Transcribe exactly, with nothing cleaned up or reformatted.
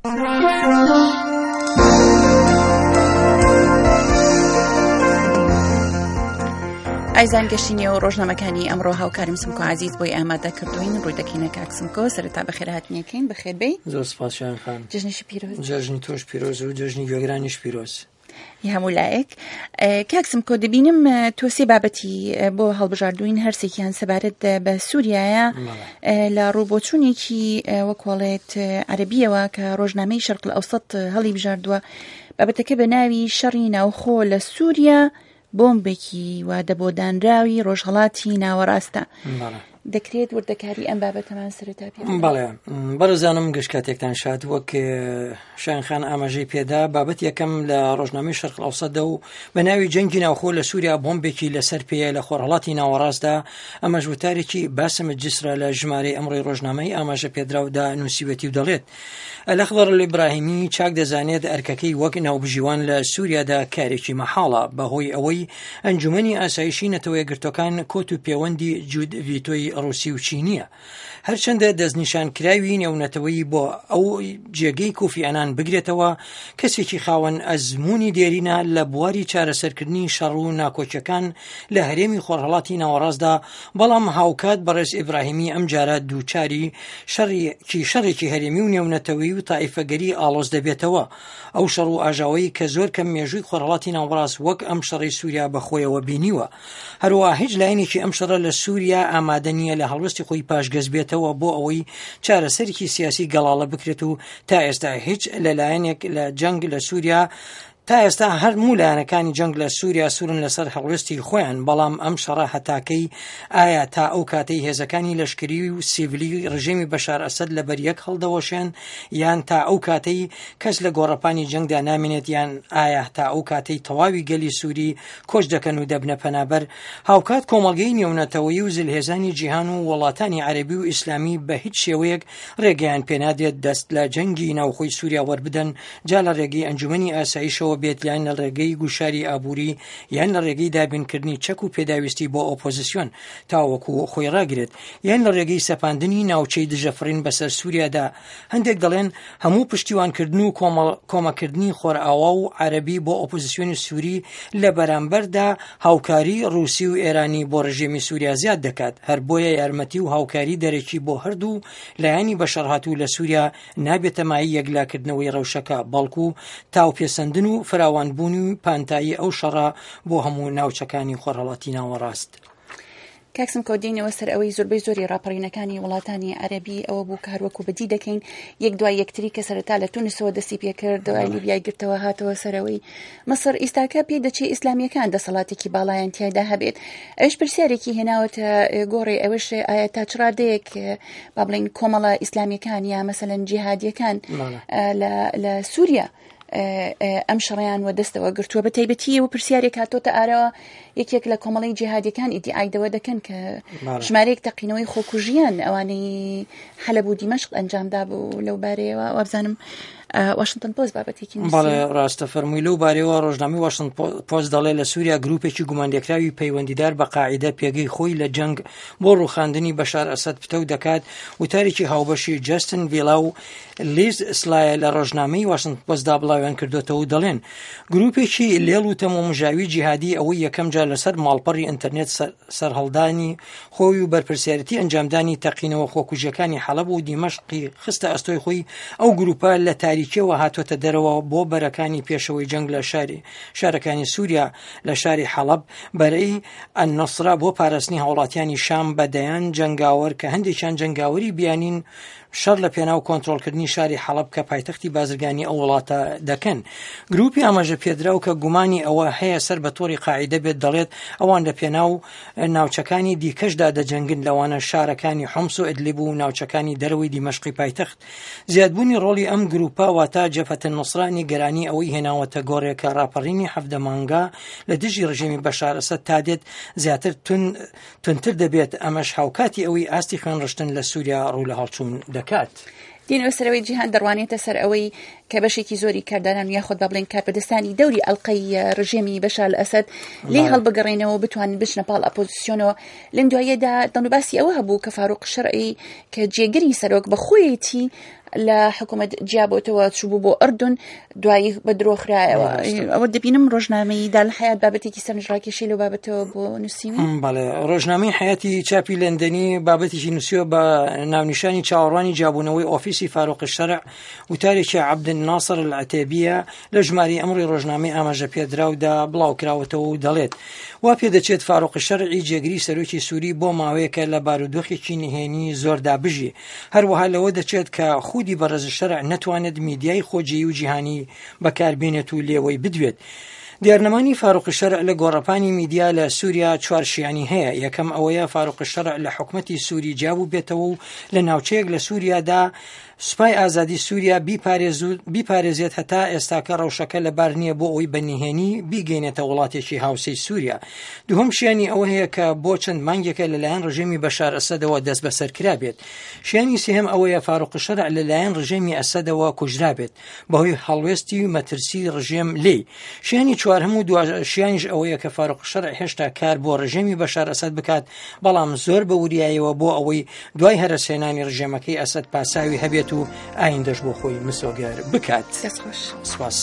ئایزان گەشتینی و ڕۆژنامەکانی ئەمڕۆ هاوکارم سمکۆ عزیز بۆی ئامادە کردوین. ڕووی دەکەینە کاک سمکۆ. سەرەتا بەخێرهاتنیەکەین، بەخێربێی. زۆر سپاس شایان خان. جەژنیشی پیرۆز. جەژنی تۆش پیرۆز و جەژنی گوێگرانیش پیرۆز. هەموو لایەک. کاک سمکۆ، دەبینم تۆ سێ بابەتی بۆ هەڵبژاردوین، هەرسێکیان سەبارەت بە سووریایە لە ڕووبۆچوونێکی وەکۆڵێت عەرەبیەوە کە ڕۆژنامەی شەرق ئەوسەت هەڵی بژاردووە. بابەتەکە بە ناوی شەڕی ناوخۆ لە سووریا بۆمبێکی وادە بۆ دانراوی ڕۆژهەڵاتی ناوەڕاستە. دەکرێت وردەکاری ئەم بابەتەمان سەرەتا پێ بدەیت؟ بەڵێ بەڕێزانم، گشت کاتێکتان شاد. وەک شایان خان ئاماژەی پێدا، بابەت یەکەم لە ڕۆژنامەی شەرق ئەوسەتدا و بە ناوی جەنگی ناوخۆ لە سووریا بۆمبێکی لەسەر پێیە لە خۆرهەڵاتی ناوەڕاستدا. ئەمەش وتارێکی باسم جسرە لە ژمارەی ئەمڕۆی ڕۆژنامەی ئاماژە پێدراودا نووسیوەتی و دەڵێت ئەلەخضر الئیبراهیمی چاک دەزانێت ئەرکەکەی وەک ناوبژیوان لە سووریادا کارێکی مەحاڵە، بەهۆی ئەوەی ئەنجومەنی ئاسایشی نەتەوە یەکگرتووەکان کۆت و پێوەندی جوود ڤیتۆی ڕوسی و چینیە. هەرچەندە دەستنیشانکراوی نێونەتەوەی بۆ ئەو جێگەی کۆفی ئەنان بگرێتەوە، کەسێکی خاوەن ئەزمموی دێرینە لە بواری چارەسەرکردنی شەڕ و ناکۆکیەکان لە هەرێمی خۆرهەڵاتی ناوەڕاستدا، بەڵام هاوکات بەڕێز ئیبراهیمی ئەمجارە دووچاری شەڕێکی شەڕێکی هەرێمی و نێونەتەوەی و تائیفەگەری ئاڵۆز دەبێتەوە. ئەو شەڕ و ئاژاوەی کە زۆر کەم مێژووی خۆرهەڵاتی ناوەڕاست وەک ئەم شەڕی سووریا بەخۆیەوە بینیوە. هەروەها هیچ لایەنێکی ئەم شەڕە لە سووریا ئامادە نییە لە هەڵوێستی خۆی پاشگەز بێتەوە بۆ ئەوەی چارەسەرێکی سیاسی گەڵاڵە بکرێت و تا ئێستا هیچ لەلایەنێک لە جەنگ لە سووریا تا ئێستا هەرموو لایەنەکانی جەنگ لە سووریا سوورن لەسەر هەڵوێستی خۆیان. بەڵام ئەم شەڕە هەتاکەی ئایا تا ئەو کاتەی هێزەکانی لەشکری و سیڤلی ڕژێمی بەشار ئەسەد لەبەر یەک هەڵدەوەشێن، یان تا ئەو کاتەی کەس لە گۆڕەپانی جەنگدا نامێنێت، یان ئایا تا ئەو کاتەی تەواوی گەلی سووری کۆچ دەکەن و دەبنە پەنابەر. هاوکات کۆمەڵگەی نێونەتەوەیی و زلهێزانی جیهان و وڵاتانی عەرەبی و ئیسلامی بە هیچ شێوەیەک ڕێگەیان پێنادرێت دەست لە جەنگی ناوخۆی سووریا وەربدەن، جا لە ڕێگەی ئەنجومەنی ئاسایشەوە بێت یان لە ڕێگەی گوشاری ئابووری یان لە ڕێگەی دابینکردنی چەک و پێداویستی بۆ ئۆپۆزیسیۆن تاوەکو خۆی ڕاگرێت، یان لە ڕێگەی سەپاندنی ناوچەی دژەفڕین بەسەر سووریادا. هەندێک دەڵێن هەموو پشتیوانکردن و کۆمەکردنی خۆرئاوا و عەرەبی بۆ ئۆپۆزیسیۆنی سووری لە بەرامبەردا هاوکاری ڕووسی و ئێرانی بۆ ڕژێمی سووریا زیاد دەکات. هەر بۆیە یارمەتی و هاوکاری دەرەکی بۆ هەردوو لایەنی بەشەڕهاتوو لە سووریا نابێتە مایەی یەکلاکردنەوەی ڕەوشەکە، بەڵکو تاوپێسەندن و فراوانبوون و پانتایی ئەو شەڕە بۆ هەموو ناوچەکانی خۆرهەڵاتی ناوەڕاست. کاک سمکۆ، دێنەوە سەر ئەوەی زۆربەی زۆری ڕاپەڕینەکانی وڵاتانی عەرەبی ئەوە بوو کە هەروەکو بەدی دەکەین یەک دوای یەکتری کە سەرەتا لە تونسەوە دەستی پێکرد، دوای لیبیای گرتەوە هاتەوە سەرەوەی مصر. ئیستاکە پێ دەچێ ئیسلامیەکان دەسەڵاتێکی باڵایان تیایدا هەبێت. ئەوش پرسیارێکی هێناوەتە گۆڕێ، ئەوەش ئایا تا چ ڕادەیەک با بڵێین کۆمەڵە ئیسلامیەکان یا مەسەلەن جیهادیەکان لە سووریا ئەم شەڕیان وەدەستەوە گرتووە. بە تایبەتی و پرسیارێک هاتۆتە ئارەوە، یەکێک لە کۆمەڵی جیهادیەکان ئیدیعای دەوە دەکەن کە ژمارەیەک تەقینەوەی خۆکوژیان ئەوانەی حەلەب و دیمەشق ئەنجامدا بوو. لەو بارەیەوە وابزانم واشنتن پۆست بابەتێکی نووسیوە. بەڵێ ڕاستە فەرمووی. لەو بارەیەوە ڕۆژنامەی واشنتن پۆست دەڵێ لە سووریا گروپێکی گومانلێکراوی پەیوەندیدار بە قاعیدە پێگەی خۆی لە جەنگ بۆ ڕووخاندنی بەشار ئەسەد پتەو دەکات. وتارێکی هاوبەشی جەستن ڤیلا و لیز سلایە لە ڕۆژنامەی واشنتن پۆستدا بڵاویان کردوێتەوە و دەڵێن گروپێکی لێڵ و تەمومژاوی جیهادی ئەوەی یەکەم جار لەسەر ماڵپەڕی ئینتەرنێت سەرهەڵدانی خۆی و بەرپرسیارەتی ئەنجامدانی تەقینەوە خۆکوژیەکانی حەلەب و دیمەشقی خستە ئەستۆی خۆی. ئەو گروپە لە تاریکیەوە هاتووەتە دەرەوە بۆ بەرەکانی پێشەوەی جەنگ لە شاری شارەکانی سووریا. لە شاری حەڵەب بەرەی ئەننوسرە بۆ پاراستنی هاوڵاتیانی شام بە دەیان جەنگاوەر کە هەندێکیان جەنگاوەری بیانین شەڕ لە پێناو کۆنترۆڵکردنی شاری حەڵەب کە پایتەختی بازرگانی ئەو وڵاتە دەکەن. گروپی ئاماژە پێدراو کە گومانی ئەوە هەیە سەر بە تۆڕی قاعیدە بێت دەڵێت ئەوان لە پێناو ناوچەکانی دیکەشدا دەجەنگن، لەوانە شارەکانی حومس و ئیدلیب و ناوچەکانی دەرەوەی دیمەشقی پایتەخت. زیادبوونی ڕۆڵی ئەم گروپە واتە جەبهەت النوسرە نیگەرانی ئەوەی هێناوەتە گۆڕێ کە ڕاپەڕینی حەڤدە مانگا لە دژی ڕژێمی بەشار ئەسەد تا دێت زیاتر تونتر دەبێت، ئەمەش هاوکاتی ئەوەی ئاستی خوێنڕشتن لە سووریا ڕوو لە هەڵچوون دەکات. دێنەوە سەرەوەی جیهان دەڕوانێتە سەر ئەوەی کە بەشێکی زۆری کاردانان یاخود با بڵێن کاربەدەستانی دەوری ئەڵلقەی ڕژێمی بەشار ئەسەد لێ هەڵبگەڕێنەوە بتوانن بچنە پاڵ ئەپۆزیسیۆنەوە. لەم دواییەدا دەنگ و باسی ئەوە هەبوو کە فاروق شەرعی کە جێگری سەرۆک بەخۆیەتی لە حکوومەت جیابۆتەوە چوو بۆ ئەردون، دوایی بە درۆ خرایەوە. ئەوە دەبینم ڕۆژنامەی دار الحیات بابەتێکی سەرنجڕاکێشی لەو بابەتەوە بۆ نووسیوی. بەڵێ، ڕۆژنامەی حیاتی چاپی لەندەنی بابەتێکی نووسیوە بە ناونیشانی چاوەڕوانی جیابوونەوەی ئۆفیسی فاروق الشەرع، وتارێکی عەبدولناسر العتێبیە لە ژمارەی ئەمڕۆی ڕۆژنامەی ئاماژە پێدراودا بڵاوکراوەتەوە و دەڵێت وا پێدەچێت فاروق الشەرعی جێگری سەرۆکی سووری بۆ ماوەیەکە لە بارودۆخێکی نهێنی زۆردا بژی. هەروەها لەوە دەچێت کە خودی بەڕێز شەرع نەتوانێت میدیای خۆجێی و جیهانی بەکاربێنێت و لێوەی بدوێت. دیارنەمانی فاروق شەرع لە گۆڕەپانی میدیا لە سووریا چوار شیانی هەیە. یەکەم ئەوەیە فاروق شەرع لە حکومەتی سووری جیابوو بێتەوە و لە ناوچەیەک لە سووریادا سوپای ئازادی سووریا بیپارێزێت هەتا ئێستاکە ڕەوشەکە لەبار نییە بۆ ئەوەی بە نهێنی بیگەینێتە وڵاتێکی هاوسێی سووریا. دووهەم شیانی ئەوە هەیە کە بۆ چەند مانگێکە لەلایەن ڕژێمی بەشار ئەسەدەوە دەست بەسەر کرابێت. شیانی سێهەم ئەوەیە فاروق شەرع لەلایەن ڕژێمی ئەسەدەوە کوژرابێت بەهۆی هەڵوێستی مەترسی ڕژێم لێی. شیانی چوارهەم و شیانیش ئەوەیە کە فاروق شەرع هێشتا کار بۆ ڕژێمی بەشار ئەسەد بکات، بەڵام زۆر بە وریایەوە بۆ ئەوەی دوای هەرەسهێنانی ڕژێمەکەی ئەسەد پاساوی هەبێت و ئایندەش بۆ خۆی مسۆگەر بکات. دەستخۆش. سپاس.